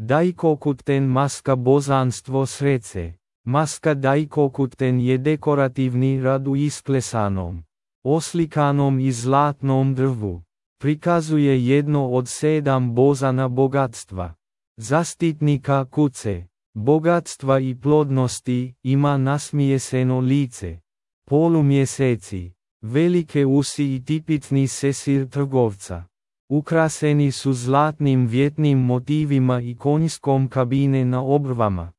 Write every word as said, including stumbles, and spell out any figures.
Daikokuten maska božanstvo sreće. Maska daikokuten je dekorativni rad u isklesanom, oslikanom i zlatnom drvu. Prikazuje jedno od sedam bozana bogatstva. Zaštitnika kuće, bogatstva i plodnosti, ima nasmijeseno lice. Polumjeseci, velike usi i tipični sesir trgovca. Ukraseni su zlatnim vjetnim motivima i konjskom kabine na obrvama.